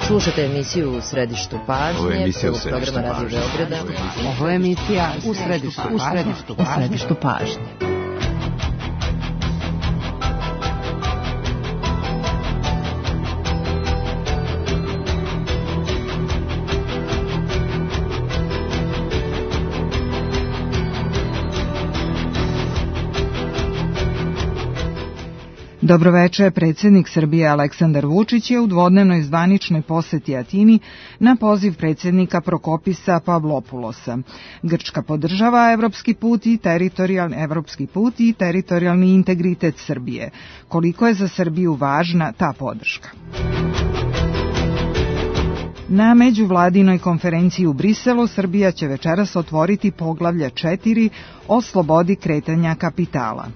Slušate emisiju U središtu pažnje, prvog programa Radio Beograda. Ovo je emisija U središtu pažnje. Dobroveče, predsjednik Srbije Aleksandar Vučić je u dvodnevnoj zvaničnoj poseti Atini na poziv predsjednika Prokopisa Pavlopulosa. Grčka podržava evropski put i teritorijalni integritet Srbije. Koliko je za Srbiju važna ta podrška? Na međuvladinoj konferenciji u Briselu Srbija će večeras otvoriti poglavlje 4 o slobodi kretanja kapitala.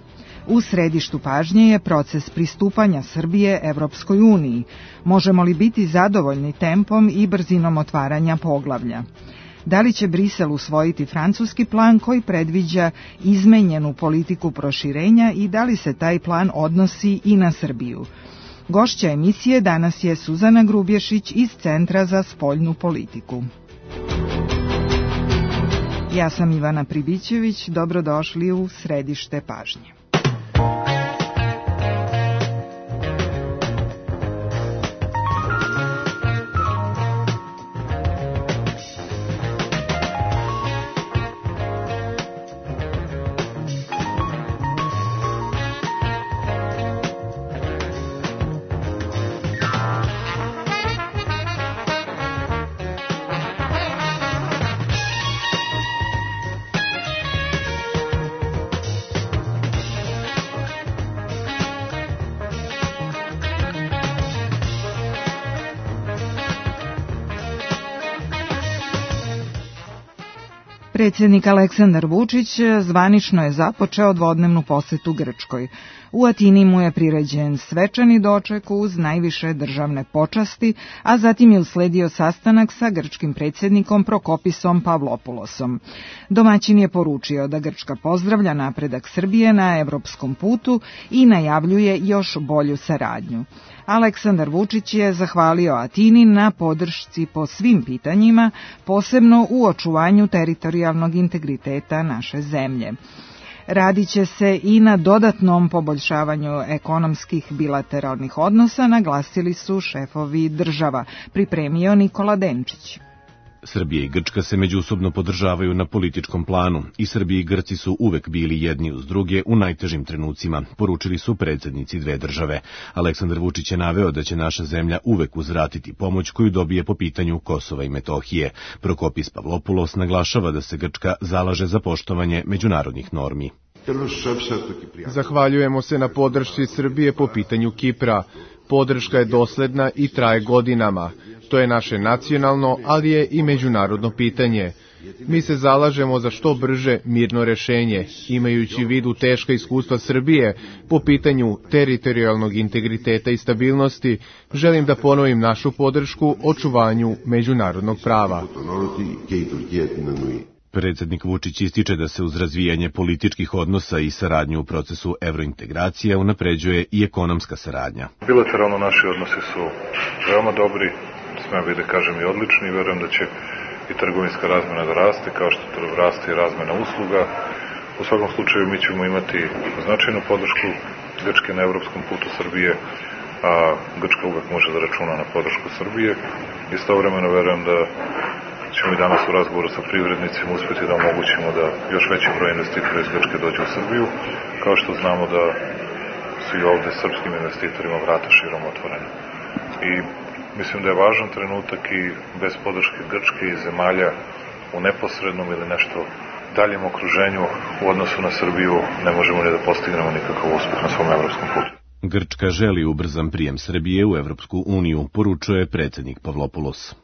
U središtu pažnje je proces pristupanja Srbije Evropskoj uniji. Možemo li biti zadovoljni tempom i brzinom otvaranja poglavlja? Da li će Brisel usvojiti francuski plan koji predviđa izmenjenu politiku proširenja i da li se taj plan odnosi i na Srbiju? Gošća emisije danas je Suzana Grubješić iz Centra za spoljnu politiku. Ja sam Ivana Pribićević, dobrodošli u središte pažnje. Predsjednik Aleksandar Vučić zvanično je započeo dvodnevnu posetu Grčkoj. U Atini mu je priređen svečani doček uz najviše državne počasti, a zatim je usledio sastanak sa grčkim predsjednikom Prokopisom Pavlopulosom. Domaćin je poručio da Grčka pozdravlja napredak Srbije na evropskom putu i najavljuje još bolju saradnju. Aleksandar Vučić je zahvalio Atini na podršci po svim pitanjima, posebno u očuvanju teritorijalnog integriteta naše zemlje. Radit će se i na dodatnom poboljšavanju ekonomskih bilateralnih odnosa, naglasili su šefovi država, pripremio Nikola Denčić. Srbija i Grčka se međusobno podržavaju na političkom planu i Srbija i Grci su uvek bili jedni uz druge u najtežim trenucima, poručili su predsjednici dve države. Aleksandar Vučić je naveo da će naša zemlja uvek uzvratiti pomoć koju dobije po pitanju Kosova i Metohije. Prokopis Pavlopulos naglašava da se Grčka zalaže za poštovanje međunarodnih normi. Zahvaljujemo se na podršci Srbije po pitanju Kipra. Podrška je dosledna i traje godinama. To je naše nacionalno, ali je i međunarodno pitanje. Mi se zalažemo za što brže mirno rešenje, imajući u vidu teška iskustva Srbije po pitanju teritorijalnog integriteta i stabilnosti. Želim da ponovim našu podršku očuvanju međunarodnog prava. Predsjednik Vučić ističe da se uz razvijanje političkih odnosa i saradnju u procesu evrointegracija unapređuje i ekonomska saradnja. Bilateralno naši odnosi su veoma dobri, smem bi da kažem i odlični, i verujem da će i trgovinska razmena da raste, kao što raste i razmena usluga. U svakom slučaju mi ćemo imati značajnu podršku Grčke na evropskom putu Srbije, a Grčka uvek može da računa na podršku Srbije. Istovremeno verujem da ćemo i danas u razgovoru sa privrednicima uspjeti da omogućimo da još veći broj investitora iz Grčke dođe u Srbiju, kao što znamo da su i ovde srpskim investitorima vrata širom otvorena. I mislim da je važan trenutak i bez podrške Grčke i zemalja u neposrednom ili nešto daljem okruženju u odnosu na Srbiju ne možemo ni da postignemo nikakav uspjeh na svom evropskom putu. Grčka želi ubrzan prijem Srbije u Evropsku uniju, poručuje predsjednik Pavlopulos.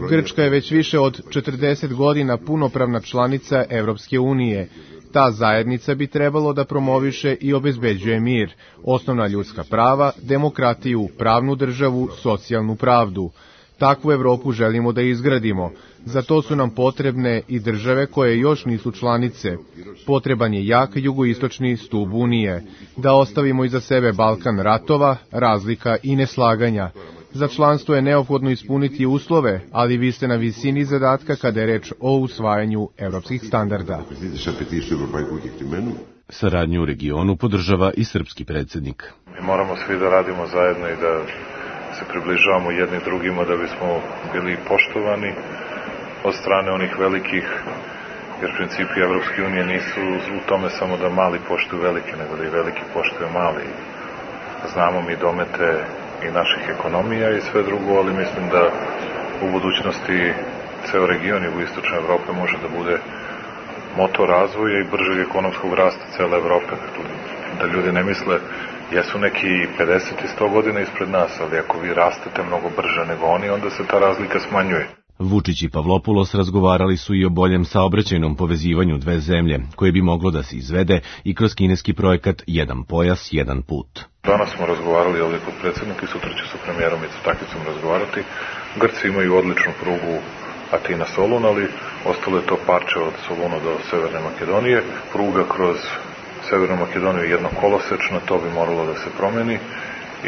Grčka je već više od 40 godina punopravna članica Evropske unije. Ta zajednica bi trebalo da promoviše i obezbeđuje mir, osnovna ljudska prava, demokratiju, pravnu državu, socijalnu pravdu. Takvu Evropu želimo da izgradimo. Za to su nam potrebne i države koje još nisu članice. Potreban je jak jugoistočni stub Unije. Da ostavimo iza sebe Balkan ratova, razlika i neslaganja. Za članstvo je neophodno ispuniti uslove, ali vi ste na visini zadatka kada je reč o usvajanju evropskih standarda. Saradnju u regionu podržava i srpski predsjednik. Mi moramo svi da radimo zajedno i da se približavamo jedni drugima da bismo bili poštovani od strane onih velikih, jer principi Evropske unije nisu u tome samo da mali poštuju velike, nego da i veliki poštuju mali. Znamo mi domete i naših ekonomija i sve drugo, ali mislim da u budućnosti ceo region jugoistočne Evrope može da bude motor razvoja i bržeg ekonomskog rasta cele Evrope. Da ljudi ne misle, jesu neki 50 i 100 godina ispred nas, ali ako vi rastete mnogo brže nego oni, onda se ta razlika smanjuje. Vučić i Pavlopoulos razgovarali su i o boljem saobraćajnom povezivanju dve zemlje, koje bi moglo da se izvede i kroz kineski projekat Jedan pojas, jedan put. Danas smo razgovarali ovdje kod predsjednika i sutra ću sa premijerom Mitsotakicom razgovarati. Grci imaju odličnu prugu Atina-Solun, ali ostalo je to parče od Soluna do Severne Makedonije. Pruga kroz Severnu Makedoniju je jednokolosečna, to bi moralo da se promeni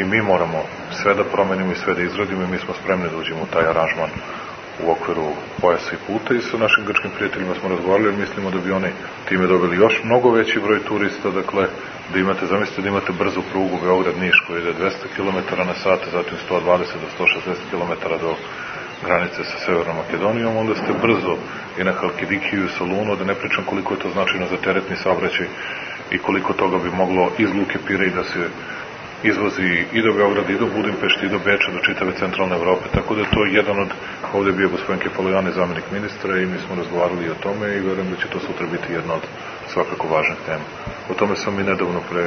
i mi moramo sve da promenimo i sve da izradimo i mi smo spremni da uđemo u taj aranžman u okviru pojasa i puta i sa našim grčkim prijateljima smo razgovarali jer mislimo da bi oni time dobili još mnogo veći broj turista, dakle da imate, zamislite da imate brzu prugu Beograd-Niš koja ide 200 km na sat, zatim 120 do 160 km do granice sa Severnom Makedonijom, onda ste brzo i na Halkidikiju i Solunu, da ne pričam koliko je to značajno za teretni saobraćaj i koliko toga bi moglo iz Luke Pirej da se izvozi i do Beograda, i do Budimpešta, i do Beča, do čitave centralne Evrope, tako da je to jedan od, ovdje je bio gospodin Kefalojan, zamjenik ministra i mi smo razgovarali i o tome i verujem da će to sutra biti jedna od svakako važnih tema. O tome sam i nedavno pre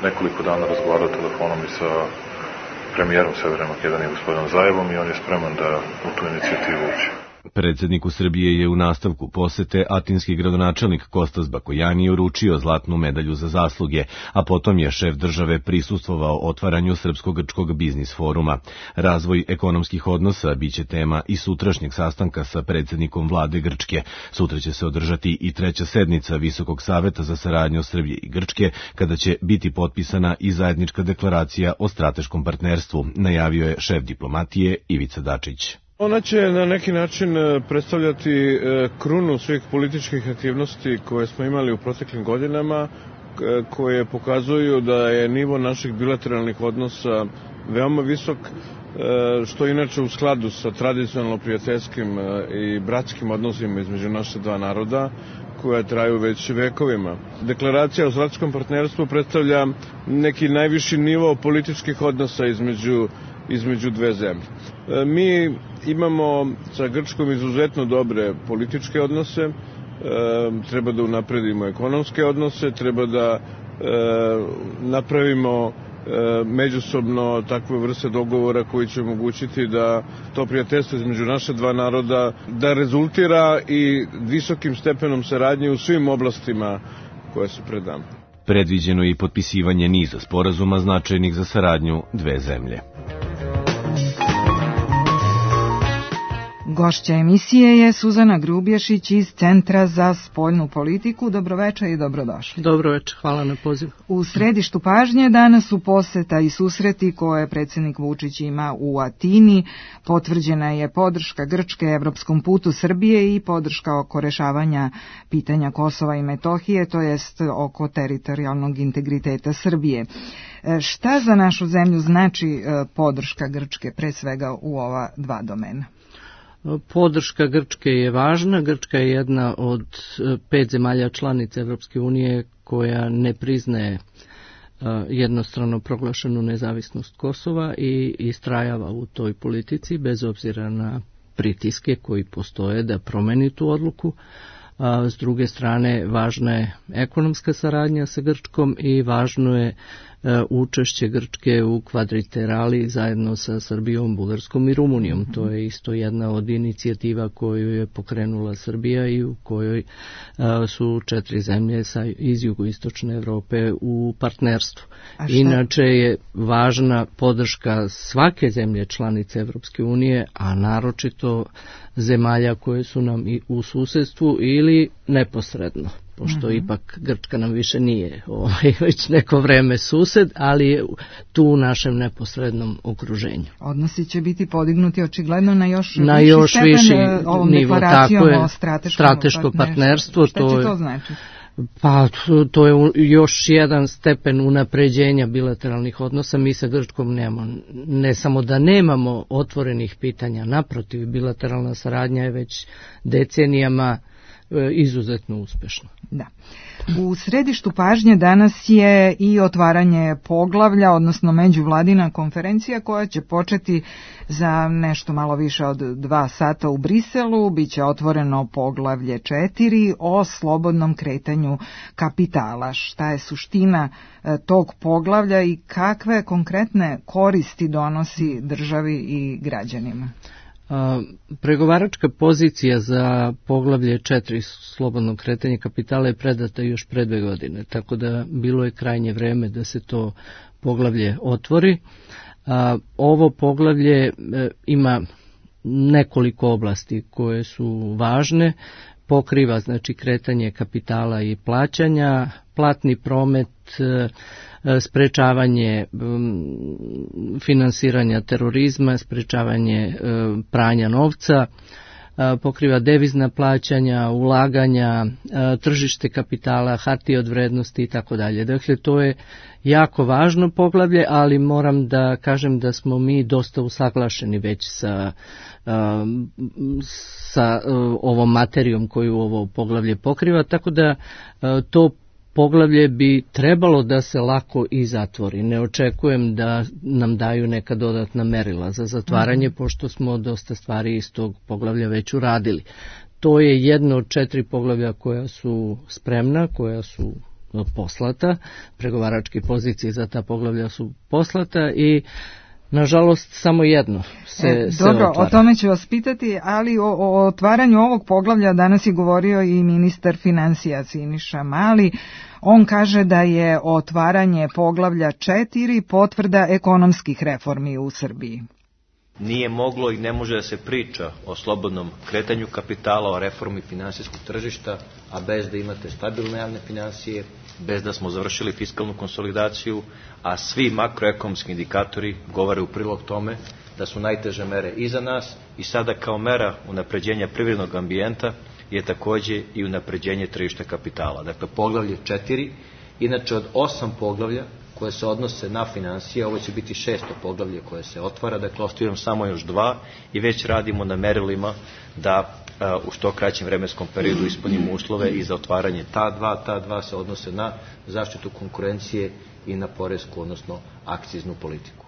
nekoliko dana razgovarao telefonom i sa premijerom Severne Makedonije, gospodinom Zajevom, i on je spreman da u tu inicijativu uđe. Predsjedniku Srbije je u nastavku posete atinski gradonačelnik Kostas Bakojani uručio zlatnu medalju za zasluge, a potom je šef države prisustvovao otvaranju Srpsko-grčkog biznis foruma. Razvoj ekonomskih odnosa biće tema i sutrašnjeg sastanka sa predsjednikom vlade Grčke. Sutra će se održati i treća sednica Visokog saveta za saradnju Srbije i Grčke, kada će biti potpisana i zajednička deklaracija o strateškom partnerstvu, najavio je šef diplomatije Ivica Dačić. Ona će na neki način predstavljati krunu svih političkih aktivnosti koje smo imali u proteklim godinama, koje pokazuju da je nivo naših bilateralnih odnosa veoma visok, što inače u skladu sa tradicionalno prijateljskim i bratskim odnosima između naše dva naroda, koja traju već vekovima. Deklaracija o strateškom partnerstvu predstavlja neki najviši nivo političkih odnosa između dve zemlje. Mi imamo sa Grčkom izuzetno dobre političke odnose, treba da unapredimo ekonomske odnose, treba da napravimo međusobno takve vrste dogovora koji će omogućiti da to prijateljstvo između naše dva naroda da rezultira i visokim stepenom saradnje u svim oblastima koje su pred nama. Predviđeno je i potpisivanje niza sporazuma značajnih za saradnju dve zemlje. Gošća emisije je Suzana Grubješić iz Centra za spoljnu politiku. Dobroveče i dobrodošli. Dobroveče, hvala na poziv. U središtu pažnje danas su poseta i susreti koje predsjednik Vučić ima u Atini. Potvrđena je podrška Grčke evropskom putu Srbije i podrška oko rešavanja pitanja Kosova i Metohije, to jest oko teritorijalnog integriteta Srbije. Šta za našu zemlju znači podrška Grčke, pre svega u ova dva domena? Podrška Grčke je važna. Grčka je jedna od 5 zemalja članica Evropske unije koja ne priznaje jednostrano proglašenu nezavisnost Kosova i istrajava u toj politici bez obzira na pritiske koji postoje da promeni tu odluku. S druge strane, važna je ekonomska saradnja sa Grčkom i važno je učešće Grčke u kvadriterali zajedno sa Srbijom, Bugarskom i Rumunijom. To je isto jedna od inicijativa koju je pokrenula Srbija i u kojoj su 4 zemlje iz jugoistočne Evrope u partnerstvu. Inače je važna podrška svake zemlje članice Evropske unije, a naročito zemalja koje su nam i u susedstvu ili neposredno. pošto ipak Grčka nam više nije već neko vreme sused, ali je tu u našem neposrednom okruženju. Odnosi će biti podignuti očigledno na još viši ovom nivo, deklaracijom tako je, o strateško partnerstvo. Šta će to znači? Pa to je još jedan stepen unapređenja bilateralnih odnosa. Mi sa Grčkom nemamo, ne samo da nemamo otvorenih pitanja, naprotiv, bilateralna saradnja je već decenijama izuzetno uspešna. Da. U središtu pažnje danas je i otvaranje poglavlja, odnosno međuvladina konferencija koja će početi za nešto malo više od 2 sata u Briselu. Biće otvoreno poglavlje 4 o slobodnom kretanju kapitala. Šta je suština tog poglavlja i kakve konkretne koristi donosi državi i građanima? Pregovaračka pozicija za poglavlje 4 slobodno kretanje kapitala je predata još pre 2 godine, tako da bilo je krajnje vreme da se to poglavlje otvori. Ovo poglavlje ima nekoliko oblasti koje su važne, pokriva znači kretanje kapitala i plaćanja, platni promet, sprečavanje finansiranja terorizma, sprečavanje pranja novca, pokriva devizna plaćanja, ulaganja, tržište kapitala, hartije od vrednosti i tako dalje. Dakle, to je jako važno poglavlje, ali moram da kažem da smo mi dosta usaglašeni već sa ovom materijom koju ovo poglavlje pokriva, tako da to poglavlje bi trebalo da se lako i zatvori. Ne očekujem da nam daju neka dodatna merila za zatvaranje, pošto smo dosta stvari iz tog poglavlja već uradili. To je jedno od 4 poglavlja koja su spremna, koja su poslata. Pregovaračke pozicije za ta poglavlja su poslata i nažalost samo jedno se Dobro, otvara. O tome ću vas pitati, ali o otvaranju ovog poglavlja danas je govorio i ministar financija Siniša Mali. On kaže da je otvaranje poglavlja 4 potvrda ekonomskih reformi u Srbiji. Nije moglo i ne može da se priča o slobodnom kretanju kapitala, o reformi finansijskog tržišta, a bez da imate stabilne javne financije, bez da smo završili fiskalnu konsolidaciju, a svi makroekonomski indikatori govore u prilog tome da su najteže mere iza nas i sada kao mera unapređenja privrednog ambijenta je takođe i unapređenje tržišta kapitala. Dakle, poglavlje 4, inače od 8 poglavlja koje se odnose na finansije, ovo će biti 6. poglavlje koje se otvara, dakle ostavljam samo još 2 i već radimo na merilima da u što kraćem vremenskom periodu ispunimo uslove i za otvaranje ta dva se odnose na zaštitu konkurencije i na poresku, odnosno akciznu politiku.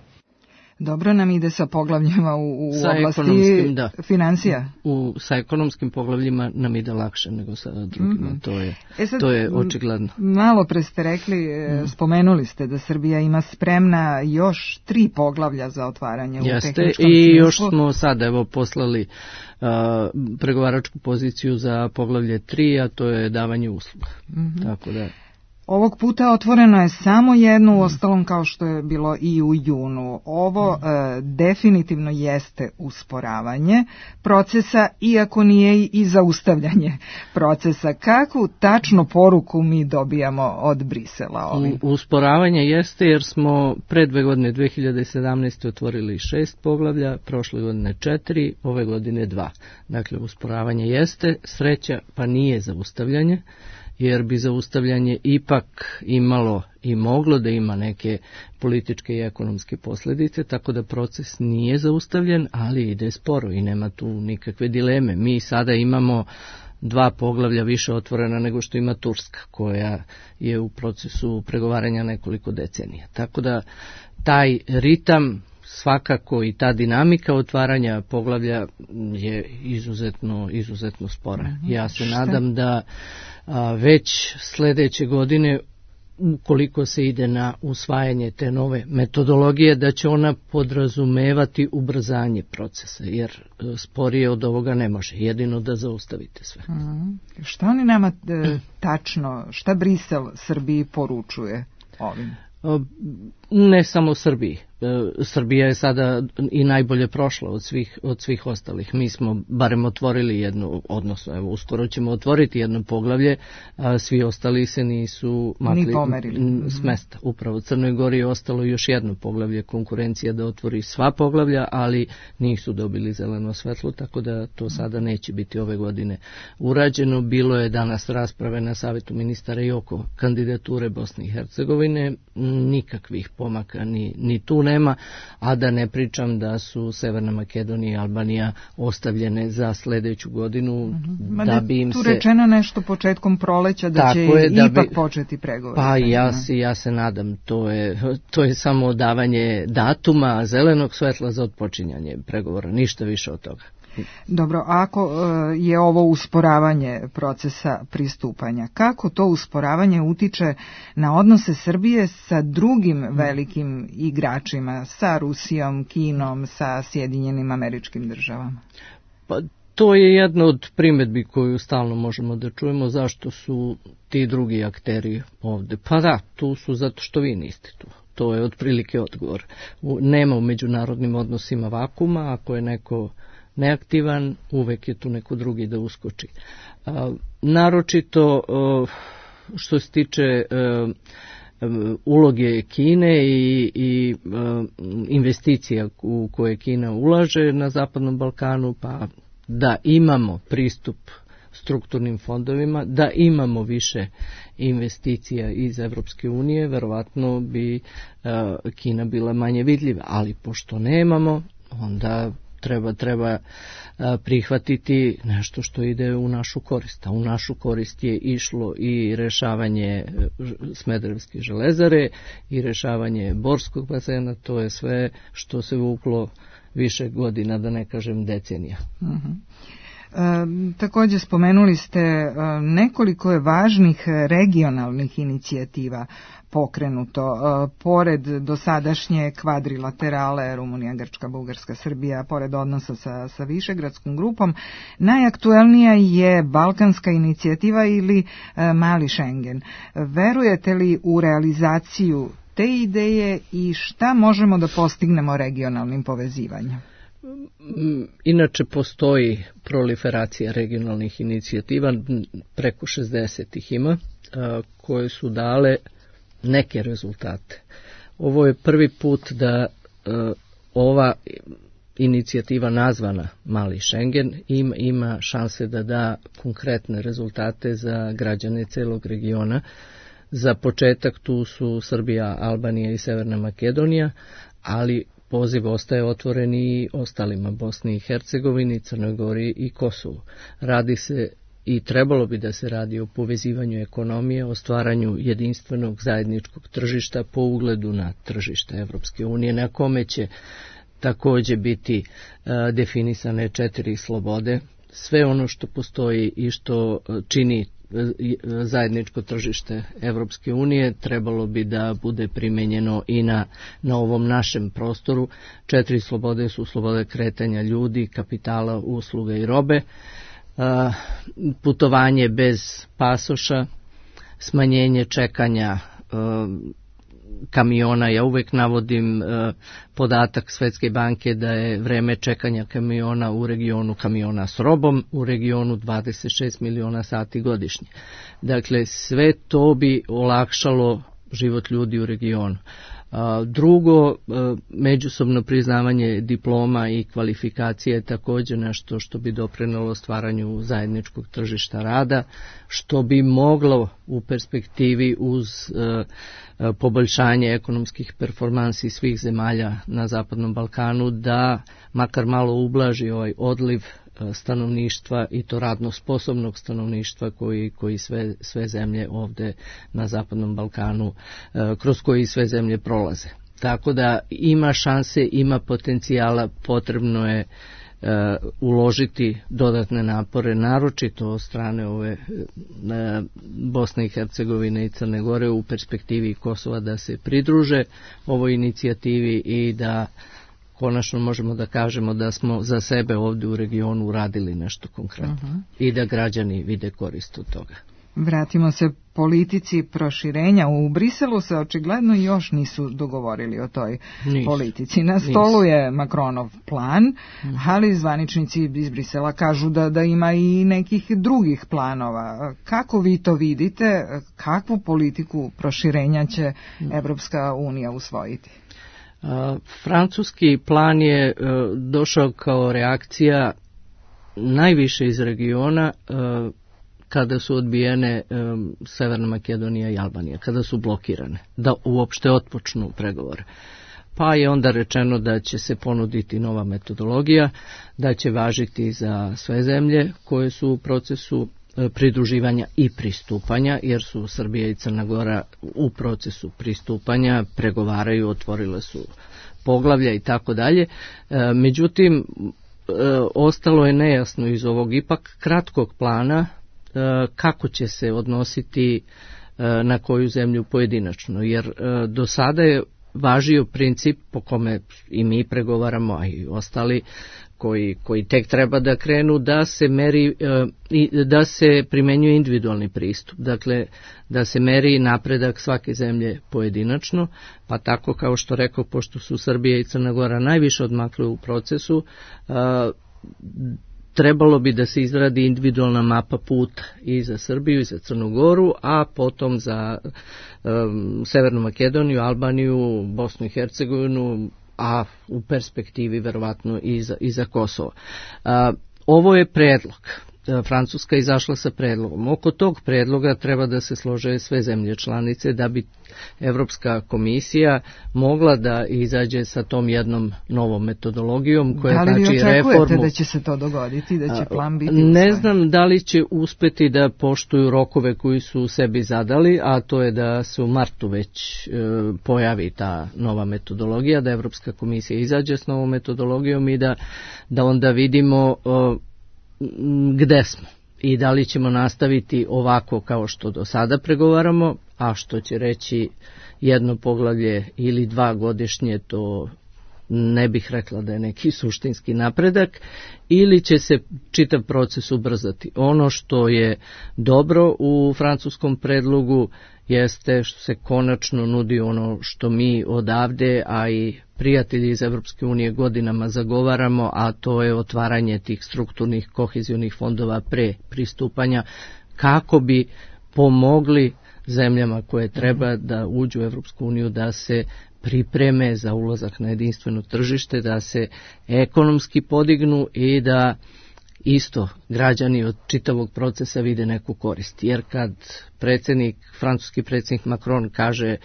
Dobro nam ide sa poglavljima u oblasti financija? Sa ekonomskim poglavljima nam ide lakše nego sa drugima, to je očigledno. Malo pre ste rekli, spomenuli ste da Srbija ima spremna još 3 poglavlja za otvaranje u tehničkom smislu. I još smo sada poslali pregovaračku poziciju za poglavlje 3, a to je davanje usluga. Tako da... Ovog puta otvoreno je samo jedno, uostalom kao što je bilo i u junu. Ovo definitivno jeste usporavanje procesa, iako nije i zaustavljanje procesa. Kakvu tačno poruku mi dobijamo od Brisela ovim? Usporavanje jeste jer smo pre 2 godine, 2017. otvorili 6 poglavlja, prošle godine 4, ove godine 2. Dakle, usporavanje jeste, sreća pa nije zaustavljanje, jer bi zaustavljanje ipak imalo i moglo da ima neke političke i ekonomske posljedice, tako da proces nije zaustavljen, ali ide sporo i nema tu nikakve dileme. Mi sada imamo 2 poglavlja više otvorena nego što ima Turska, koja je u procesu pregovaranja nekoliko decenija. Tako da taj ritam, svakako i ta dinamika otvaranja poglavlja je izuzetno spora. Ja se nadam da već sledeće godine, ukoliko se ide na usvajanje te nove metodologije, da će ona podrazumevati ubrzanje procesa, jer sporije od ovoga ne može, jedino da zaustavite sve. Šta oni nama tačno, šta Brisel Srbiji poručuje ovim? Ne samo Srbiji. Srbija je sada i najbolje prošla od svih ostalih. Mi smo barem otvorili jednu, odnosno evo, uskoro ćemo otvoriti jedno poglavlje, a svi ostali se nisu makli s mesta. Upravo Crnoj Gori je ostalo još jedno poglavlje, konkurencija da otvori sva poglavlja, ali nisu dobili zeleno svetlo, tako da to sada neće biti ove godine urađeno. Bilo je danas rasprave na Savetu ministara i oko kandidature Bosne i Hercegovine, nikakvih pomaka ni tu nema, a da ne pričam da su Severna Makedonija i Albanija ostavljene za sledeću godinu. Da bi im tu rečeno nešto početkom proleća da će ipak početi pregovori. Pa ja se nadam, to je samo davanje datuma, zelenog svetla za otpočinjanje pregovora, ništa više od toga. Dobro, ako je ovo usporavanje procesa pristupanja, kako to usporavanje utiče na odnose Srbije sa drugim velikim igračima, sa Rusijom, Kinom, sa Sjedinjenim Američkim Državama? Pa to je jedna od primedbi koju stalno možemo da čujemo, zašto su ti drugi akteri ovde. Pa da, tu su zato što vi niste tu. To je otprilike odgovor. Nema u međunarodnim odnosima vakuma, ako je neko neaktivan, uvek je tu neko drugi da uskoči. Naročito što se tiče uloge Kine i investicija u koje Kina ulaže na Zapadnom Balkanu, pa da imamo pristup strukturnim fondovima, da imamo više investicija iz Evropske unije, verovatno bi Kina bila manje vidljiva, ali pošto nemamo, onda treba prihvatiti nešto što ide u našu korist. A u našu korist je išlo i rešavanje Smederevske železare i rešavanje Borskog basena, to je sve što se vuklo više godina, da ne kažem decenija. Također spomenuli ste nekoliko je važnih regionalnih inicijativa pokrenuto. Pored dosadašnje kvadrilaterale Rumunija, Grčka, Bugarska, Srbija, pored odnosa sa Višegradskom grupom, najaktuelnija je Balkanska inicijativa ili Mali Schengen. Verujete li u realizaciju te ideje i šta možemo da postignemo regionalnim povezivanjem? Inače postoji proliferacija regionalnih inicijativa, preko 60 ih ima, koje su dale neke rezultate. Ovo je prvi put da ova inicijativa nazvana Mali Schengen ima šanse da da konkretne rezultate za građane celog regiona. Za početak tu su Srbija, Albanija i Severna Makedonija, ali poziv ostaje otvoren i ostalima, Bosni i Hercegovini, Crnoj Gori i Kosovu. Radi se i trebalo bi da se radi o povezivanju ekonomije, o stvaranju jedinstvenog zajedničkog tržišta po ugledu na tržište Evropske unije, na kome će takođe biti definisane 4 slobode. Sve ono što postoji i što čini zajedničko tržište Evropske unije trebalo bi da bude primenjeno i na ovom našem prostoru. 4 slobode su slobode kretanja ljudi, kapitala, usluga i robe, putovanje bez pasoša, smanjenje čekanja kamiona. Ja uvek navodim podatak Svetske banke da je vreme čekanja kamiona u regionu kamiona s robom u regionu 26 miliona sati godišnje. Dakle, sve to bi olakšalo život ljudi u regionu. Drugo, međusobno priznavanje diploma i kvalifikacije je također nešto što bi doprinelo stvaranju zajedničkog tržišta rada, što bi moglo u perspektivi uz poboljšanje ekonomskih performansi svih zemalja na Zapadnom Balkanu da makar malo ublaži ovaj odliv stanovništva i to radno sposobnog stanovništva koji sve zemlje ovde na Zapadnom Balkanu, kroz koji sve zemlje prolaze. Tako da ima šanse, ima potencijala, potrebno je uložiti dodatne napore, naročito od strane ove Bosne i Hercegovine i Crne Gore u perspektivi Kosova da se pridruže ovoj inicijativi i da konačno možemo da kažemo da smo za sebe ovdje u regionu uradili nešto konkretno i da građani vide korist od toga. Vratimo se politici proširenja. U Briselu se očigledno još nisu dogovorili o toj politici. Na stolu je Macronov plan, ali zvaničnici iz Brisela kažu da ima i nekih drugih planova. Kako vi to vidite? Kakvu politiku proširenja će Evropska unija usvojiti? Francuski plan je došao kao reakcija najviše iz regiona kada su odbijene Severna Makedonija i Albanija, kada su blokirane, da uopšte otpočnu pregovore. Pa je onda rečeno da će se ponuditi nova metodologija, da će važiti za sve zemlje koje su u procesu pridruživanja i pristupanja, jer su Srbija i Crna Gora u procesu pristupanja, pregovaraju, otvorile su poglavlja i tako dalje. Međutim, ostalo je nejasno iz ovog ipak kratkog plana kako će se odnositi na koju zemlju pojedinačno, jer do sada je važio princip po kome i mi pregovaramo, a i ostali koji tek treba da krenu, da se meri, da se primenjuje individualni pristup, dakle da se meri napredak svake zemlje pojedinačno, pa tako kao što rekao, pošto su Srbija i Crna Gora najviše odmakle u procesu, trebalo bi da se izradi individualna mapa puta i za Srbiju i za Crnu Goru, a potom za Severnu Makedoniju, Albaniju, Bosnu i Hercegovinu, a u perspektivi verovatno i za Kosovo. Ovo je predlog. Francuska izašla sa predlogom. Oko tog predloga treba da se slože sve zemlje članice da bi Evropska komisija mogla da izađe sa tom jednom novom metodologijom koja znači reformu. Da li vi očekujete da će se to dogoditi, da će plan biti usvojen? Ne znam da li će uspeti da poštuju rokove koji su sebi zadali, a to je da se u martu već pojavi ta nova metodologija, da Evropska komisija izađe s novom metodologijom i da onda vidimo gde smo i da li ćemo nastaviti ovako kao što do sada pregovaramo, a što će reći jedno poglavlje ili 2 godišnje, to ne bih rekla da je neki suštinski napredak, ili će se čitav proces ubrzati. Ono što je dobro u francuskom predlogu jeste što se konačno nudi ono što mi odavde, a i prijatelji iz Evropske unije godinama zagovaramo, a to je otvaranje tih strukturnih kohezionih fondova pre pristupanja, kako bi pomogli zemljama koje treba da uđu u Evropsku uniju da se pripreme za ulazak na jedinstveno tržište, da se ekonomski podignu i da isto građani od čitavog procesa vide neku korist. Jer kad francuski predsjednik Macron kaže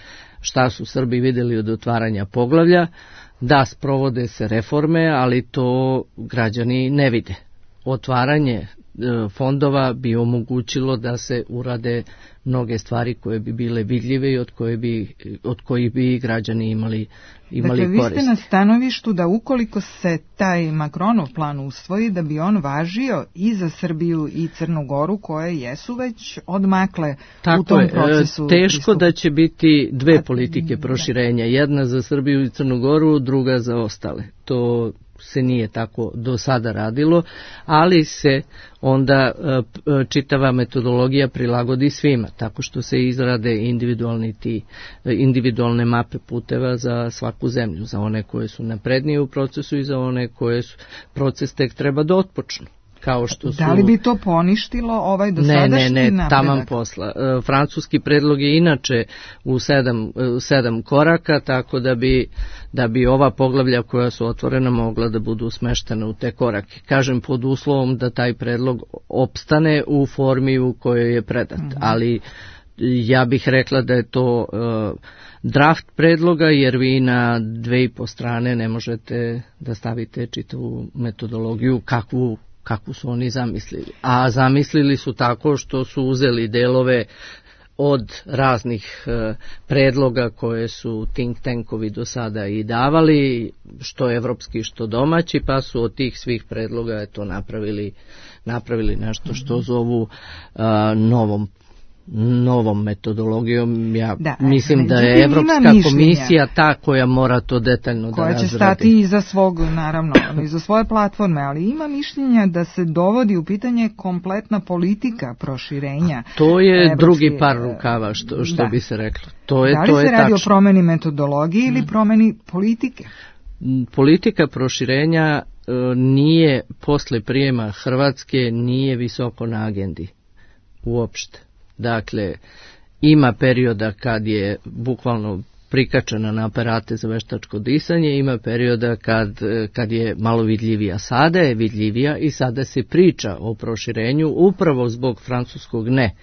šta su Srbi vidjeli od otvaranja poglavlja, da sprovode se reforme, ali to građani ne vide. Otvaranje fondova bi omogućilo da se urade mnoge stvari koje bi bile vidljive i od kojih bi građani imali dakle, korist. Vi ste na stanovištu da ukoliko se taj Macronov plan usvoji, da bi on važio i za Srbiju i Crnu Goru, koje jesu već odmakle u tom procesu. Teško da će biti dve politike proširenja, jedna za Srbiju i Crnu Goru, druga za ostale. To se nije tako do sada radilo, ali se onda čitava metodologija prilagodi svima, tako što se izrade individualne mape puteva za svaku zemlju, za one koje su naprednije u procesu i za one koje proces tek treba da otpočnu. Kao što su... Da li bi to poništilo ovaj dosadašnji napredak? Ne, taman posla. Francuski predlog je inače u 7 koraka, tako da bi ova poglavlja koja su otvorena mogla da budu smeštena u te korake. Kažem, pod uslovom da taj predlog opstane u formi u kojoj je predat. Ali ja bih rekla da je to draft predloga, jer vi na 2,5 strane ne možete da stavite čitavu metodologiju kakvu su oni zamislili. A zamislili su tako što su uzeli delove od raznih predloga koje su think tankovi do sada i davali, što evropski, što domaći, pa su od tih svih predloga napravili nešto što zovu novom metodologijom. Ja mislim da je Evropska komisija ta koja mora to detaljno da razradi. Koja će stati iza svog, naravno, iza svoje platforme, ali ima mišljenja da se dovodi u pitanje kompletna politika proširenja. To je drugi par rukava, što bi se reklo. Da li se radi o promeni metodologije ili promeni politike? Politika proširenja nije posle prijema Hrvatske, nije visoko na agendi uopšte. Dakle, ima perioda kad je bukvalno prikačena na aparate za veštačko disanje, ima perioda kad je malo vidljivija. Sada je vidljivija i sada se priča o proširenju upravo zbog francuskog ne.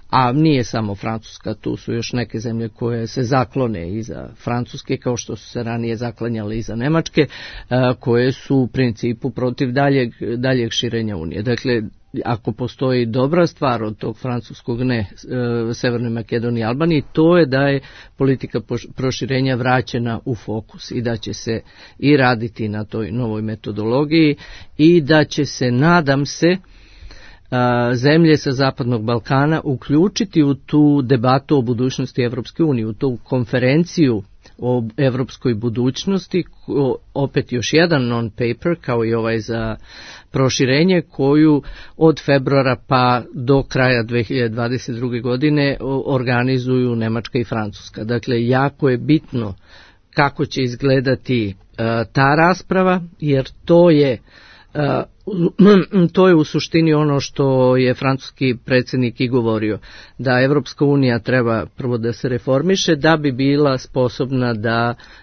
A nije samo Francuska, tu su još neke zemlje koje se zaklone iza Francuske, kao što su se ranije zaklanjale iza Nemačke, koje su u principu protiv daljeg širenja Unije. Dakle, ako postoji dobra stvar od tog francuskog ne Severnoj Makedoniji i Albaniji, to je da je politika proširenja vraćena u fokus i da će se i raditi na toj novoj metodologiji i da će se, nadam se, zemlje sa Zapadnog Balkana uključiti u tu debatu o budućnosti Evropske unije, u tu konferenciju o evropskoj budućnosti, opet još jedan non-paper, kao i ovaj za proširenje, koju od februara pa do kraja 2022. godine organizuju Nemačka i Francuska. Dakle, jako je bitno kako će izgledati ta rasprava, jer to je u suštini ono što je francuski predsjednik i govorio, da Evropska unija treba prvo da se reformiše da bi bila sposobna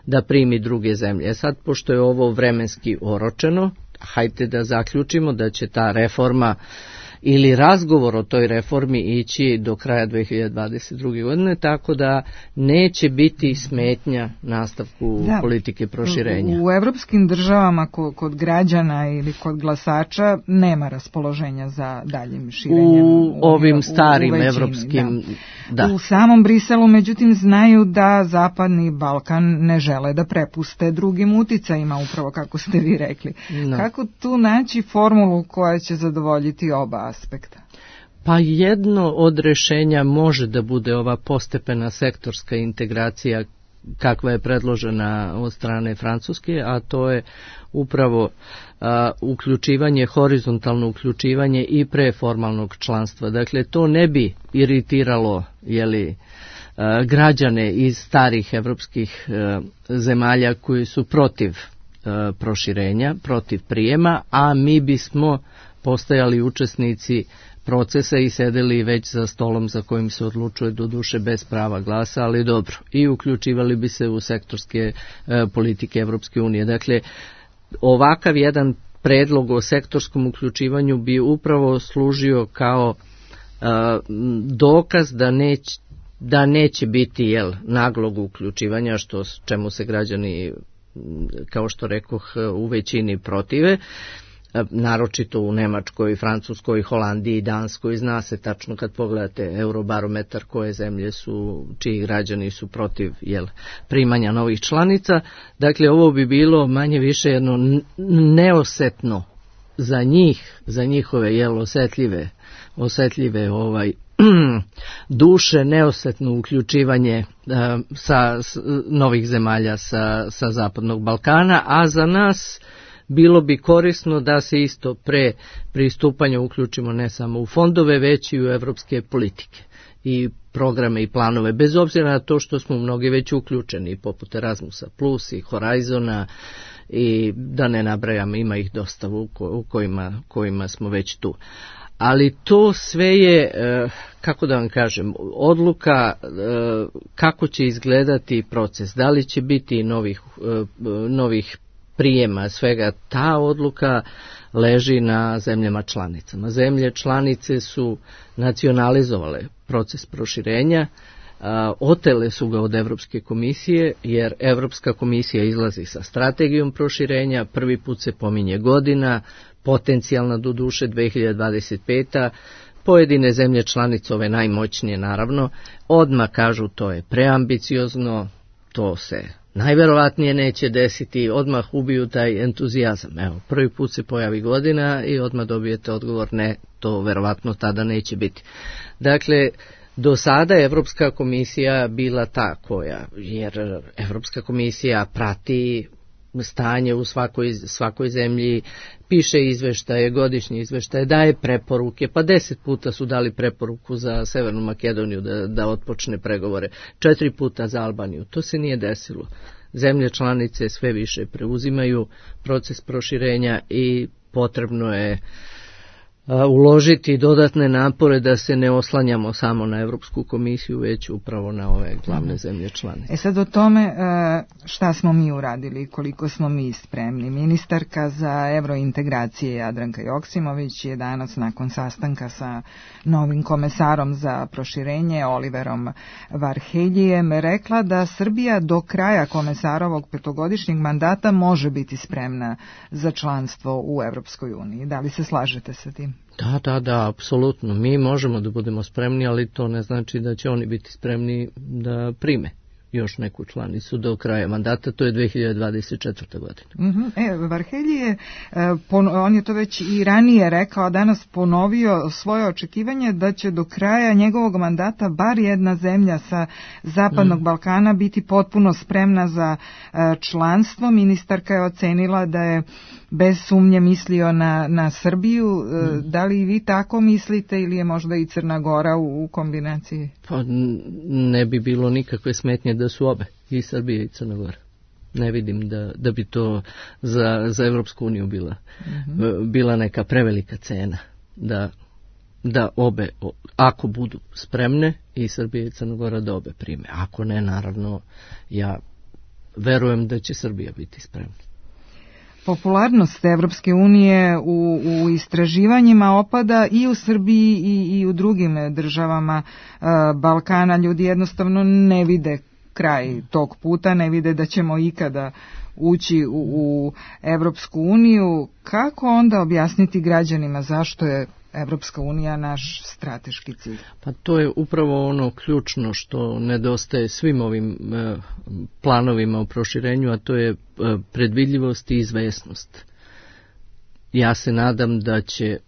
da primi druge zemlje. Sad, pošto je ovo vremenski oročeno, hajde da zaključimo da će ta reforma ili razgovor o toj reformi ići do kraja 2022. godine, tako da neće biti smetnja nastavku politike proširenja. U evropskim državama kod građana ili kod glasača nema raspoloženja za daljim širenjem. U ovim starim evropskim, da. U samom Briselu, međutim, znaju da Zapadni Balkan ne žele da prepuste drugim uticajima, upravo kako ste vi rekli. No. Kako tu naći formulu koja će zadovoljiti oba aspekta? Pa jedno od rješenja može da bude ova postepena sektorska integracija kakva je predložena od strane Francuske, a to je upravo uključivanje, horizontalno uključivanje i preformalnog članstva. Dakle, to ne bi iritiralo građane iz starih evropskih zemalja koji su protiv proširenja, protiv prijema, a mi bismo postajali učesnici procesa i sedeli već za stolom za kojim se odlučuje, doduše bez prava glasa, ali dobro, i uključivali bi se u sektorske politike Evropske unije. Dakle, ovakav jedan predlog o sektorskom uključivanju bi upravo služio kao dokaz da neće biti naglog uključivanja, čemu se građani, kao što rekoh, u većini protive, naročito u Nemačkoj, Francuskoj, Holandiji, Danskoj. Zna se tačno kad pogledate Eurobarometar koje zemlje su, čiji građani su protiv primanja novih članica. Dakle, ovo bi bilo manje više jedno neosetno za njih, za njihove osetljive duše, neosetno uključivanje novih zemalja sa Zapadnog Balkana, a za nas bilo bi korisno da se isto pre pristupanja uključimo ne samo u fondove, već i u evropske politike i programe i planove, bez obzira na to što smo mnogi već uključeni, poput Erasmusa Plus i Horizona, i da ne nabrajam, ima ih dosta u kojima smo već tu. Ali to sve je, kako da vam kažem, odluka kako će izgledati proces, da li će biti novih prijema svega. Ta odluka leži na zemljama članicama. Zemlje članice su nacionalizovale proces proširenja, otele su ga od Evropske komisije, jer Evropska komisija izlazi sa strategijom proširenja, prvi put se pominje godina, potencijalna doduše 2025. Pojedine zemlje članice, ove najmoćnije naravno, odmah kažu to je preambiciozno, to se najverovatnije neće desiti, odmah ubiju taj entuzijazam. Evo, prvi put se pojavi godina i odmah dobijete odgovor ne, to verovatno tada neće biti. Dakle, Do sada je Evropska komisija bila ta koja, jer Evropska komisija prati stanje u svakoj zemlji, piše izveštaje, godišnje izveštaje, daje preporuke, pa 10 puta su dali preporuku za Severnu Makedoniju da otpočne pregovore, 4 puta za Albaniju. To se nije desilo. Zemlje članice sve više preuzimaju proces proširenja i potrebno je uložiti dodatne napore da se ne oslanjamo samo na Evropsku komisiju, već upravo na ove glavne zemlje članice. Sad o tome šta smo mi uradili, koliko smo mi spremni. Ministarka za evrointegracije Jadranka Joksimović je danas nakon sastanka sa novim komesarom za proširenje Oliverom Varheljijem rekla da Srbija do kraja komesarovog petogodišnjeg mandata može biti spremna za članstvo u Evropskoj uniji. Da li se slažete sa tim? Da, apsolutno. Mi možemo da budemo spremni, ali to ne znači da će oni biti spremni da prime još neku članicu do kraja mandata, to je 2024. godina. Varhelji on je to već i ranije rekao, a danas ponovio svoje očekivanje da će do kraja njegovog mandata bar jedna zemlja sa Zapadnog Balkana biti potpuno spremna za članstvo. Ministarka je ocenila da je bez sumnje mislio na Srbiju. Da li vi tako mislite ili je možda i Crna Gora u kombinaciji? Pa ne bi bilo nikakve smetnje da su obe, i Srbija i Crna Gora. Ne vidim da bi to za Evropsku uniju bila neka prevelika cena da obe, ako budu spremne, i Srbija i Crna Gora da obe prime. Ako ne, naravno, ja verujem da će Srbija biti spremna. Popularnost Evropske unije u istraživanjima opada i u Srbiji i u drugim državama Balkana. Ljudi jednostavno ne vide kraj tog puta, ne vide da ćemo ikada ući u Evropsku uniju. Kako onda objasniti građanima zašto je Evropska unija naš strateški cilj? Pa to je upravo ono ključno što nedostaje svim ovim planovima o proširenju, a to je predvidljivost i izvesnost. Ja se nadam da će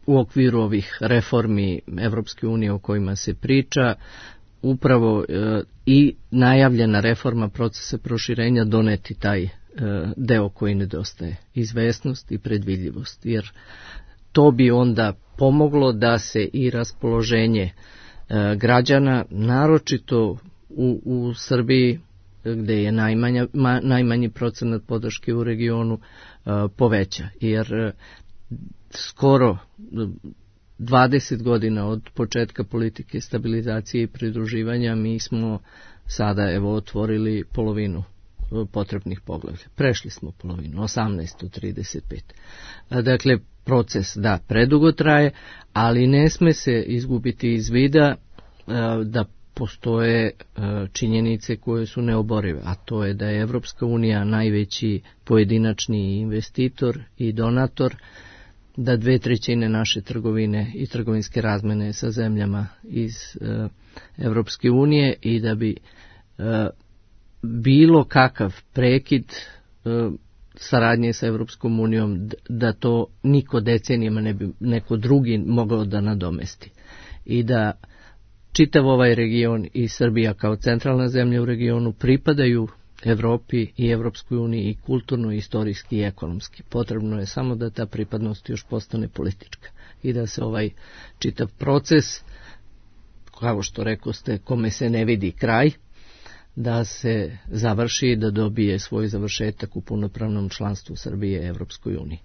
u okviru ovih reformi Evropske unije o kojima se priča upravo i najavljena reforma procesa proširenja doneti taj deo koji nedostaje, izvesnost i predvidljivost, jer to bi onda pomoglo da se i raspoloženje građana, naročito u Srbiji, gde je najmanji procenat podrške u regionu, poveća. Jer skoro 20 godina od početka politike stabilizacije i pridruživanja mi smo sada otvorili polovinu potrebnih poglavlja. Prešli smo polovinu, 18 od 35. Dakle, proces predugo traje, ali ne sme se izgubiti iz vida da postoje činjenice koje su neoborive, a to je da je Evropska unija najveći pojedinačni investitor i donator, da 2/3 naše trgovine i trgovinske razmene sa zemljama iz Evropske unije i da bi bilo kakav prekid saradnje sa Evropskom unijom, da to niko decenijama ne bi neko drugi mogao da nadomesti. I da čitav ovaj region i Srbija kao centralna zemlja u regionu pripadaju Evropi i Evropskoj uniji i kulturno, istorijski i ekonomski. Potrebno je samo da ta pripadnost još postane politička i da se ovaj čitav proces, kao što rekoste, kome se ne vidi kraj, da se završi i da dobije svoj završetak u punopravnom članstvu Srbije Evropskoj uniji.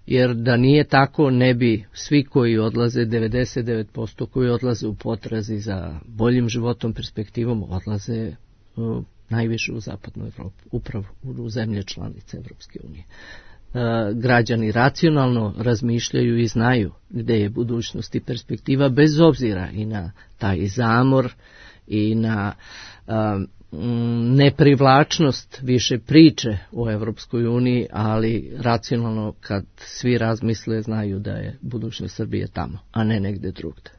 Jer da nije tako, ne bi svi koji odlaze, 99% koji odlaze u potrazi za boljim životom, perspektivom, odlaze najviše u zapadnu Evropu, upravo u zemlje članice Evropske unije. Građani racionalno razmišljaju i znaju gde je budućnost i perspektiva, bez obzira i na taj zamor i na neprivlačnost više priče o Evropskoj uniji, ali racionalno kad svi razmisle znaju da je budućnost Srbije tamo, a ne negde drugde.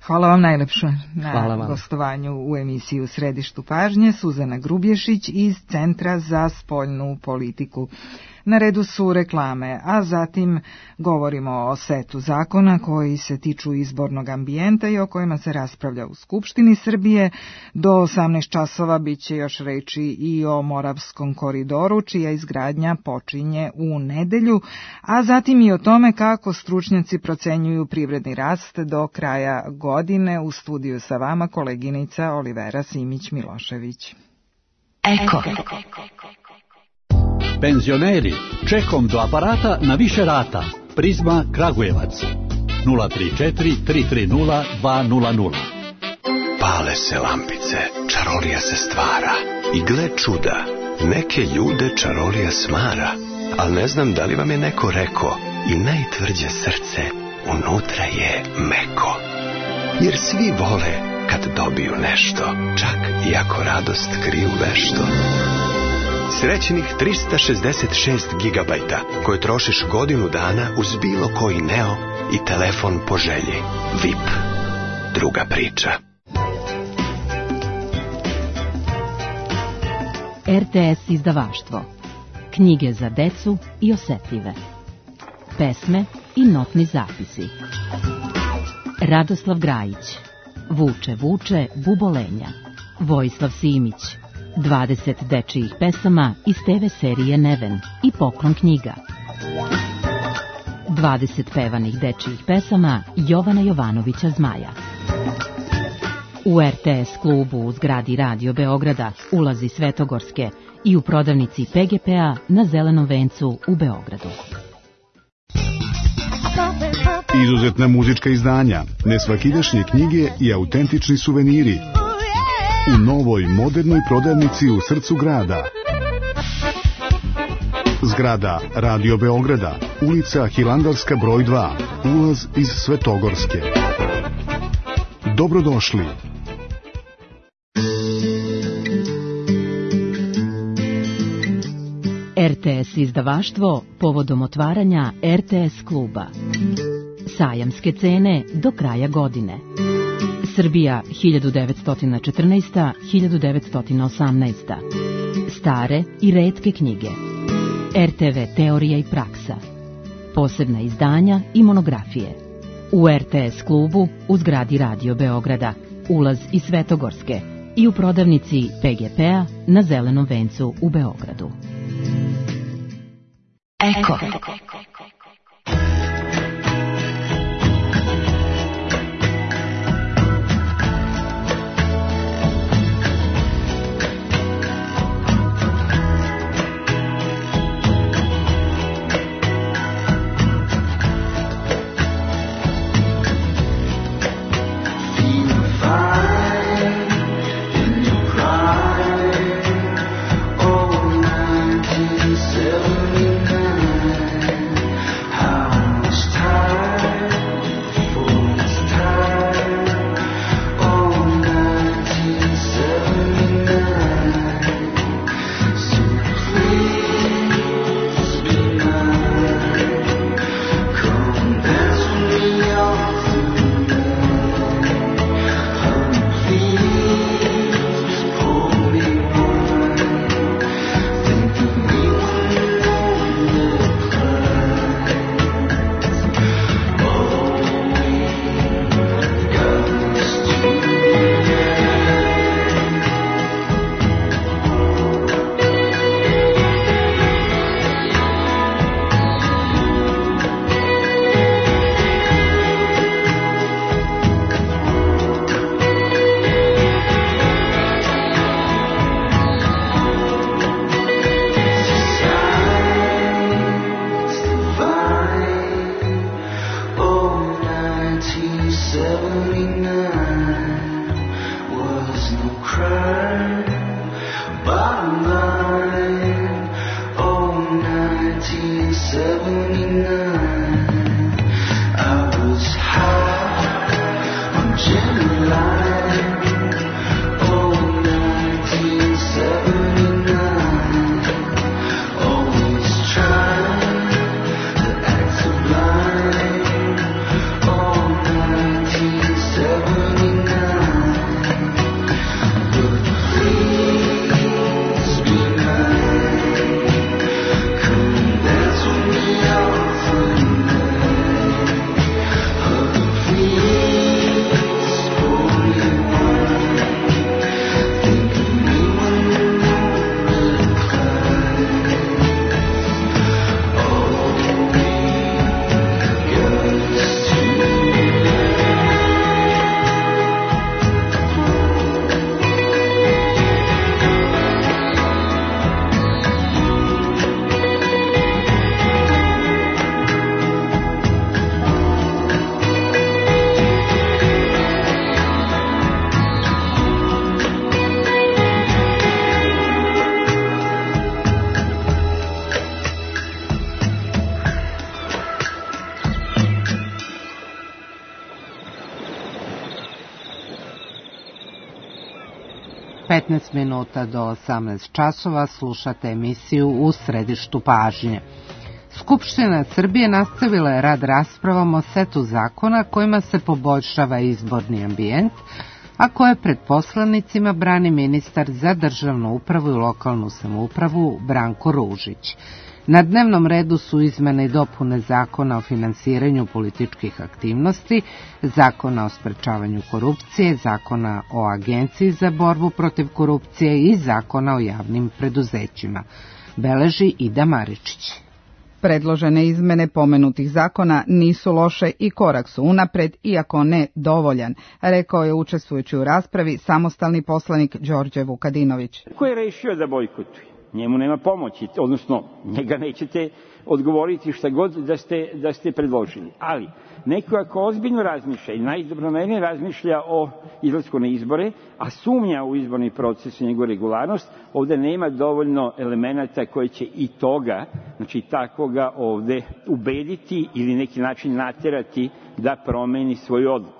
Hvala vam najlepše na gostovanju u emisiji U središtu pažnje. Suzana Grubješić iz Centra za spoljnu politiku. Na redu su reklame, a zatim govorimo o setu zakona koji se tiču izbornog ambijenta i o kojima se raspravlja u Skupštini Srbije. Do 18 časova bit će još reči i o Moravskom koridoru, čija izgradnja počinje u nedelju, a zatim i o tome kako stručnjaci procenjuju privredni rast do kraja godine. U studiju sa vama koleginica Olivera Simić-Milošević. Eko. Penzioneri, čekom do aparata na više rata. Prizma Kragujevac 034 330 200. Pale se lampice, čarolija se stvara. I gle čuda, neke ljude čarolija smara. Al ne znam da li vam je neko rekao, i najtvrđe srce unutra je meko. Jer svi vole kad dobiju nešto, čak i ako radost kriju vešto. Srećnih 366 gigabajta koje trošiš godinu dana uz bilo koji Neo i telefon po želji. VIP. Druga priča. RTS izdavaštvo. Knjige za decu i osetljive. Pesme i notni zapisi. Radoslav Grajić. Vuče, vuče, bubolenja. Vojislav Simić. 20 dečijih pesama iz TV serije Neven i Poklon knjiga. 20 pevanih dečijih pesama Jovana Jovanovića Zmaja. U RTS klubu u zgradi Radio Beograda, ulazi Svetogorske i u prodavnici PGP-a na Zelenom vencu u Beogradu. Izuzetna muzička izdanja, nesvakidašnje knjige i autentični suveniri u novoj modernoj prodavnici u srcu grada. Zgrada Radio Beograda, ulica Hilandarska broj 2, ulaz iz Svetogorske. Dobrodošli. RTS izdavaštvo povodom otvaranja RTS kluba. Sajamske cene do kraja godine. Srbija 1914-1918. Stare i retke knjige. RTV teorija i praksa. Posebna izdanja i monografije. U RTS klubu u zgradi Radio Beograda, ulaz iz Svetogorske i u prodavnici PGP-a na Zelenom vencu u Beogradu. Eko. 15 minuta do 18 časova slušate emisiju U središtu pažnje. Skupština Srbije nastavila je rad raspravom o setu zakona kojima se poboljšava izborni ambijent, a koje pred poslanicima brani ministar za državnu upravu i lokalnu samoupravu Branko Ružić. Na dnevnom redu su izmene i dopune Zakona o finansiranju političkih aktivnosti, Zakona o sprečavanju korupcije, Zakona o Agenciji za borbu protiv korupcije i Zakona o javnim preduzećima. Beleži Ida Maričić. Predložene izmene pomenutih zakona nisu loše i korak su unapred, iako ne dovoljan, rekao je učestvujući u raspravi samostalni poslanik Đorđe Vukadinović. Ko je rešio da bojkotuje? Njemu nema pomoći, odnosno njega nećete odgovoriti šta god da ste predložili. Ali neko ako ozbiljno razmišlja i najdobronamernije razmišlja o izlasku na izbore, a sumnja u izborni proces i njegovu regularnost, ovde nema dovoljno elemenata koji će i toga, znači takoga ovde ubediti ili neki način naterati da promeni svoju odluku.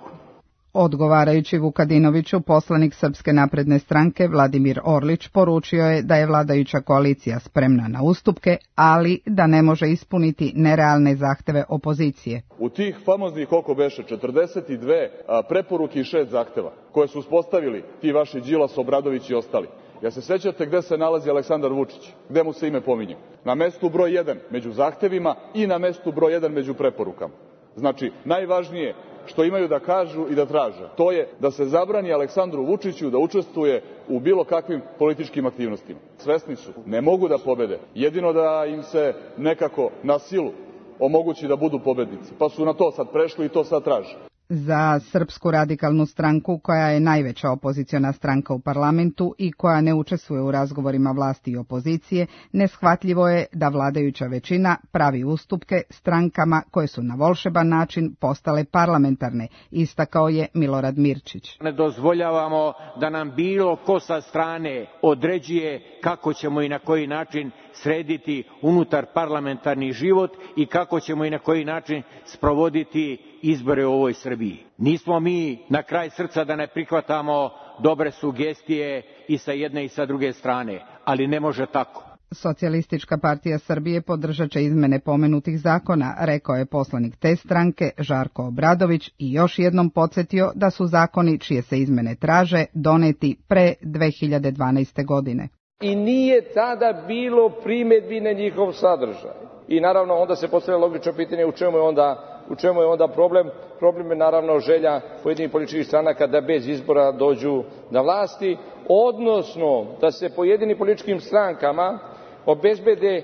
Odgovarajući Vukadinoviću, poslanik Srpske napredne stranke Vladimir Orlić poručio je da je vladajuća koalicija spremna na ustupke, ali da ne može ispuniti nerealne zahteve opozicije. U tih famoznih oko beše 42 preporuke i 6 zahteva koje su uspostavili ti vaši Đilas, Obradović i ostali. Ja se sećate gde se nalazi Aleksandar Vučić, gde mu se ime pominje? Na mestu broj 1 među zahtevima i na mestu broj 1 među preporukama. Znači, najvažnije što imaju da kažu i da traže, to je da se zabrani Aleksandru Vučiću da učestvuje u bilo kakvim političkim aktivnostima. Svesni su, ne mogu da pobede, jedino da im se nekako na silu omogući da budu pobednici, pa su na to sad prešli i to sad traže. Za Srpsku radikalnu stranku, koja je najveća opoziciona stranka u parlamentu i koja ne učestvuje u razgovorima vlasti i opozicije, neshvatljivo je da vladajuća većina pravi ustupke strankama koje su na volšeban način postale parlamentarne, istakao je Milorad Mirčić. Ne dozvoljavamo da nam bilo ko sa strane određuje kako ćemo i na koji način srediti unutar parlamentarni život i kako ćemo i na koji način sprovoditi izbore u ovoj Srbiji. Nismo mi na kraj srca da ne prihvatamo dobre sugestije i sa jedne i sa druge strane, ali ne može tako. Socijalistička partija Srbije podržat će izmene pomenutih zakona, rekao je poslanik te stranke Žarko Obradović i još jednom podsjetio da su zakoni čije se izmene traže doneti pre 2012. godine. I nije tada bilo primedbi na njihov sadržaj. I naravno onda se postavlja logično pitanje u čemu je onda problem. Problem je naravno želja pojedinih političkih stranaka da bez izbora dođu na vlasti, odnosno da se pojedinim političkim strankama obezbede,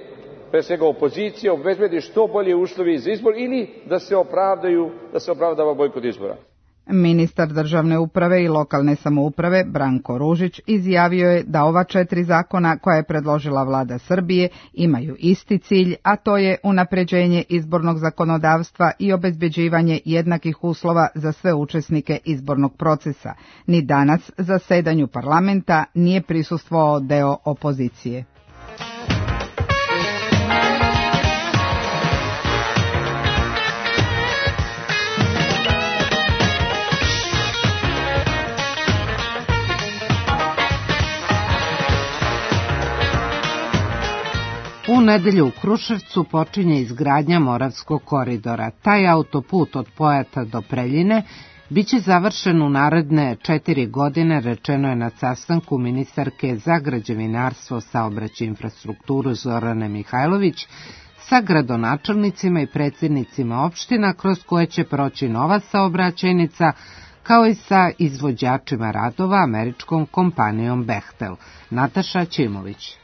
pre svega opozicija, obezbedi što bolje uslovi za izbor ili da se opravdava bojkot izbora. Ministar državne uprave i lokalne samouprave Branko Ružić izjavio je da ova 4 zakona koja je predložila vlada Srbije imaju isti cilj, a to je unapređenje izbornog zakonodavstva i obezbeđivanje jednakih uslova za sve učesnike izbornog procesa. Ni danas zasedanju parlamenta nije prisustvovao deo opozicije. U nedelju u Kruševcu počinje izgradnja Moravskog koridora. Taj autoput od Pojata do Preljine biće završen u naredne 4 godine, rečeno je na sastanku ministarke za građevinarstvo, saobraćaj i infrastrukturu Zorane Mihajlović sa gradonačelnicima i predsjednicima opština kroz koje će proći nova saobraćajnica, kao i sa izvođačima radova američkom kompanijom Bechtel. Nataša Ćimović.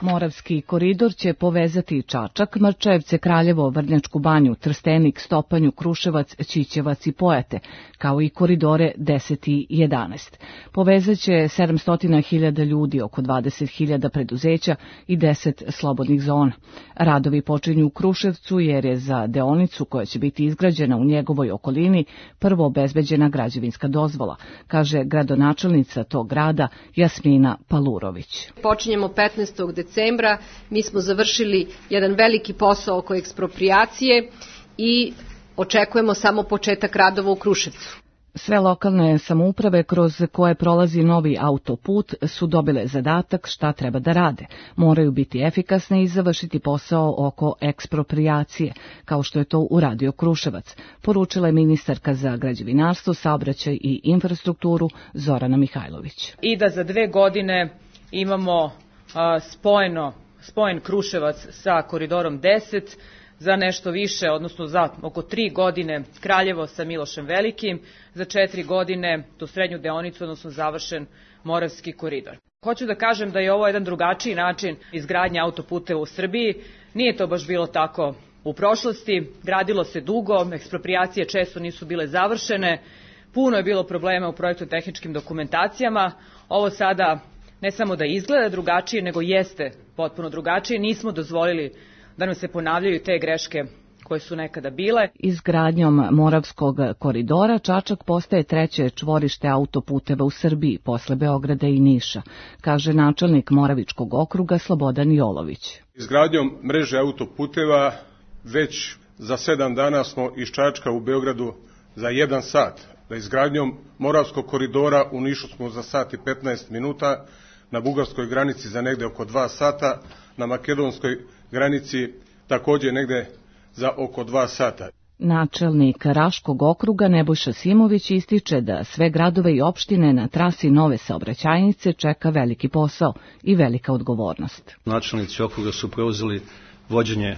Moravski koridor će povezati Čačak, Mrčajevce, Kraljevo, Vrnjačku banju, Trstenik, Stopanju, Kruševac, Ćićevac i Pojate, kao i koridore 10 i 11. Povezaće 700.000 ljudi, oko 20.000 preduzeća i 10 slobodnih zona. Radovi počinju u Kruševcu jer je za deonicu koja će biti izgrađena u njegovoj okolini prvo obezbeđena građevinska dozvola, kaže gradonačelnica tog grada Jasmina Palurović. Počinjemo 15. decembra, mi smo završili jedan veliki posao oko eksproprijacije i očekujemo samo početak radova u Kruševcu. Sve lokalne samouprave kroz koje prolazi novi autoput su dobile zadatak šta treba da rade. Moraju biti efikasne i završiti posao oko eksproprijacije, kao što je to uradio Kruševac, poručila je ministarka za građevinarstvo, saobraćaj i infrastrukturu Zorana Mihajlović. I da za 2 godine imamo spojen Kruševac sa koridorom 10, za nešto više, odnosno za oko 3 godine Kraljevo sa Milošem Velikim, za 4 godine tu srednju deonicu, odnosno završen Moravski koridor. Hoću da kažem da je ovo jedan drugačiji način izgradnje autoputeva u Srbiji. Nije to baš bilo tako u prošlosti, gradilo se dugo, eksproprijacije često nisu bile završene, puno je bilo problema u projektno-tehničkim dokumentacijama. Ovo sada ne samo da izgleda drugačije, nego jeste potpuno drugačije. Nismo dozvolili da nam se ponavljaju te greške koje su nekada bile. Izgradnjom Moravskog koridora Čačak postaje 3. čvorište autoputeva u Srbiji posle Beograda i Niša, kaže načelnik Moravičkog okruga Slobodan Jolović. Izgradnjom mreže autoputeva već za 7 dana smo iz Čačka u Beogradu za 1 sat. Da izgradnjom Moravskog koridora u Nišu smo za 1 i 15 minuta, na bugarskoj granici za negde oko 2 sata, na makedonskoj granici također negde za oko 2 sata. Načelnik Raškog okruga Nebojša Simović ističe da sve gradove i opštine na trasi nove saobraćajnice čeka veliki posao i velika odgovornost. Načelnici okruga su preuzeli vođenje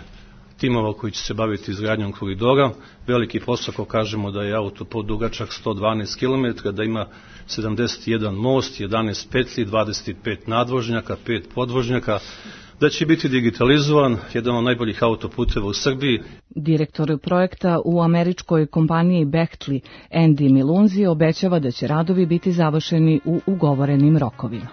timova koji će se baviti izgradnjom koridora. Veliki posao, ako kažemo da je autoput dugačak 112 km, da ima 71 most, 11 petlji, 25 nadvožnjaka, 5 podvožnjaka, da će biti digitalizovan, jedan od najboljih autoputeva u Srbiji. Direktor projekta u američkoj kompaniji Bechtli, Andy Milunzi, obećava da će radovi biti završeni u ugovorenim rokovima.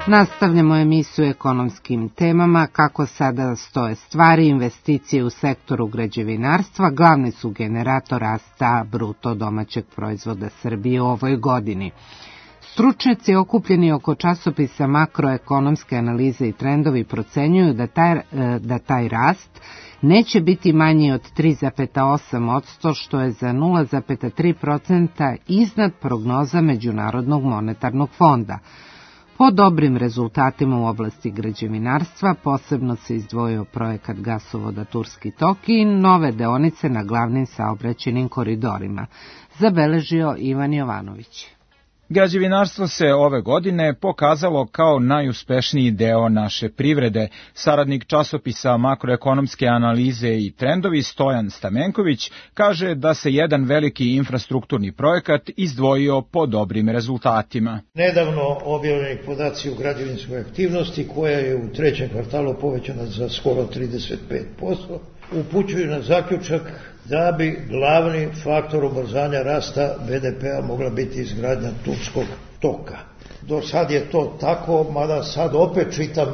Nastavljamo emisiju ekonomskim temama. Kako sada stoje stvari, investicije u sektoru građevinarstva glavni su generator rasta bruto domaćeg proizvoda Srbije u ovoj godini. Stručnjaci okupljeni oko časopisa Makroekonomske analize i trendovi procenjuju da taj rast neće biti manji od 3,8%, što je za 0,3% iznad prognoza Međunarodnog monetarnog fonda. Po dobrim rezultatima u oblasti građevinarstva posebno se izdvojio projekat gasovoda Turski tok i nove deonice na glavnim saobraćajnim koridorima, zabeležio Ivan Jovanović. Građevinarstvo se ove godine pokazalo kao najuspešniji deo naše privrede. Saradnik časopisa Makroekonomske analize i trendovi Stojan Stamenković kaže da se jedan veliki infrastrukturni projekat izdvojio po dobrim rezultatima. Nedavno objavljeni podaci u građevinskoj aktivnosti koja je u 3. kvartalu povećana za skoro 35%, upućuju na zaključak da bi glavni faktor ubrzanja rasta BDP-a mogla biti izgradnja Turskog toka. Do sad je to tako, mada sad opet čitam,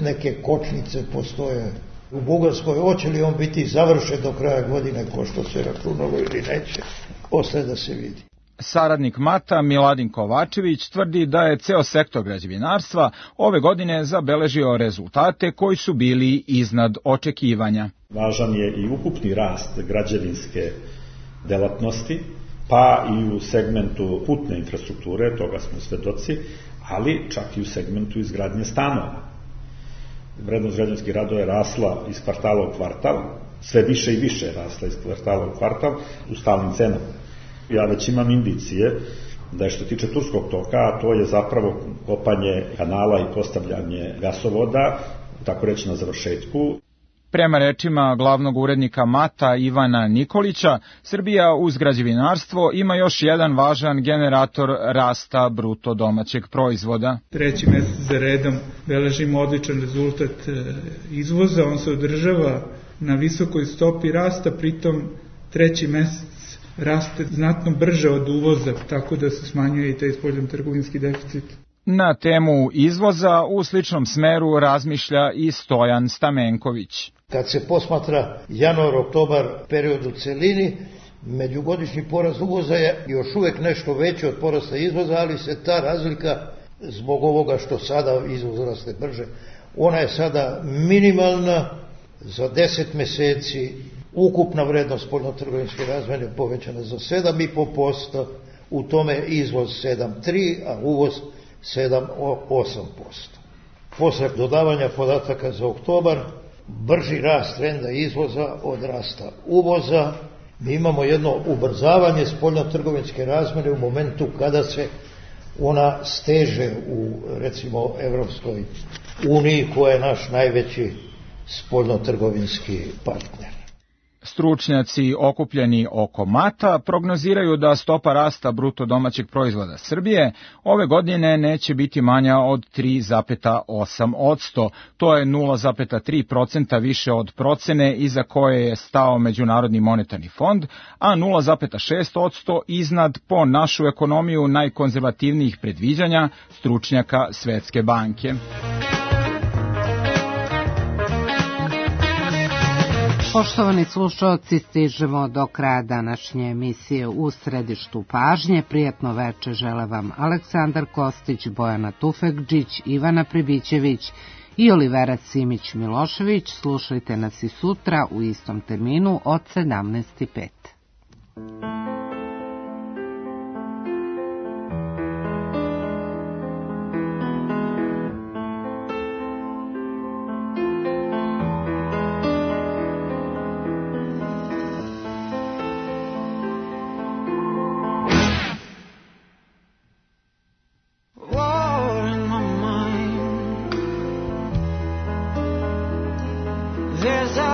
neke kočnice postoje u Bugarskoj. Hoće li on biti završen do kraja godine, ko što se računalo ili neće, ostaje da se vidi. Saradnik Mata Miladin Kovačević tvrdi da je ceo sektor građevinarstva ove godine zabeležio rezultate koji su bili iznad očekivanja. Važan je i ukupni rast građevinske delatnosti, pa i u segmentu putne infrastrukture, toga smo svedoci, ali čak i u segmentu izgradnje stanova. Vrednost građevinskih radova je rasla iz kvartala u kvartal, sve više i više je rasla iz kvartala u kvartal u stalnim cenama. Ja već imam indicije da je što tiče Turskog toka, a to je zapravo kopanje kanala i postavljanje gasovoda, tako reći na završetku. Prema rečima glavnog urednika Mata Ivana Nikolića, Srbija uz građevinarstvo ima još jedan važan generator rasta bruto domaćeg proizvoda. 3. mesec za redom beležimo odličan rezultat izvoza, on se održava na visokoj stopi rasta, pritom 3. mesec raste znatno brže od uvoza, tako da se smanjuje i taj spoljnotrgovinski deficit. Na temu izvoza u sličnom smeru razmišlja i Stojan Stamenković. Kad se posmatra januar-oktobar period u celini, Međugodišnji porast uvoza je još uvek nešto veći od porasta izvoza, ali se ta razlika, zbog ovoga što sada izvoz raste brže, ona je sada minimalna. Za 10 meseci ukupna vrednost spoljnotrgovinske razmene povećana za 7,5%, u tome izvoz 7,3%, a uvoz 7,8%. Posle dodavanja podataka za oktobar, brži rast trenda izvoza od rasta uvoza, mi imamo jedno ubrzavanje spoljnotrgovinske razmene u momentu kada se ona steže u, recimo, Evropskoj uniji, koja je naš najveći spoljnotrgovinski partner. Stručnjaci okupljeni oko MATA prognoziraju da stopa rasta bruto domaćeg proizvoda Srbije ove godine neće biti manja od 3,8%. To je 0,3% više od procene iza koje je stao Međunarodni monetarni fond, a 0,6% iznad po našu ekonomiju najkonzervativnijih predviđanja stručnjaka Svetske banke. Poštovani slušalci, stižemo do kraja današnje emisije U središtu pažnje. Prijatno veče žele vam Aleksandar Kostić, Bojana Tufekđić, Ivana Pribićević i Olivera Simić-Milošević. Slušajte nas i sutra u istom terminu od 17:05. There's a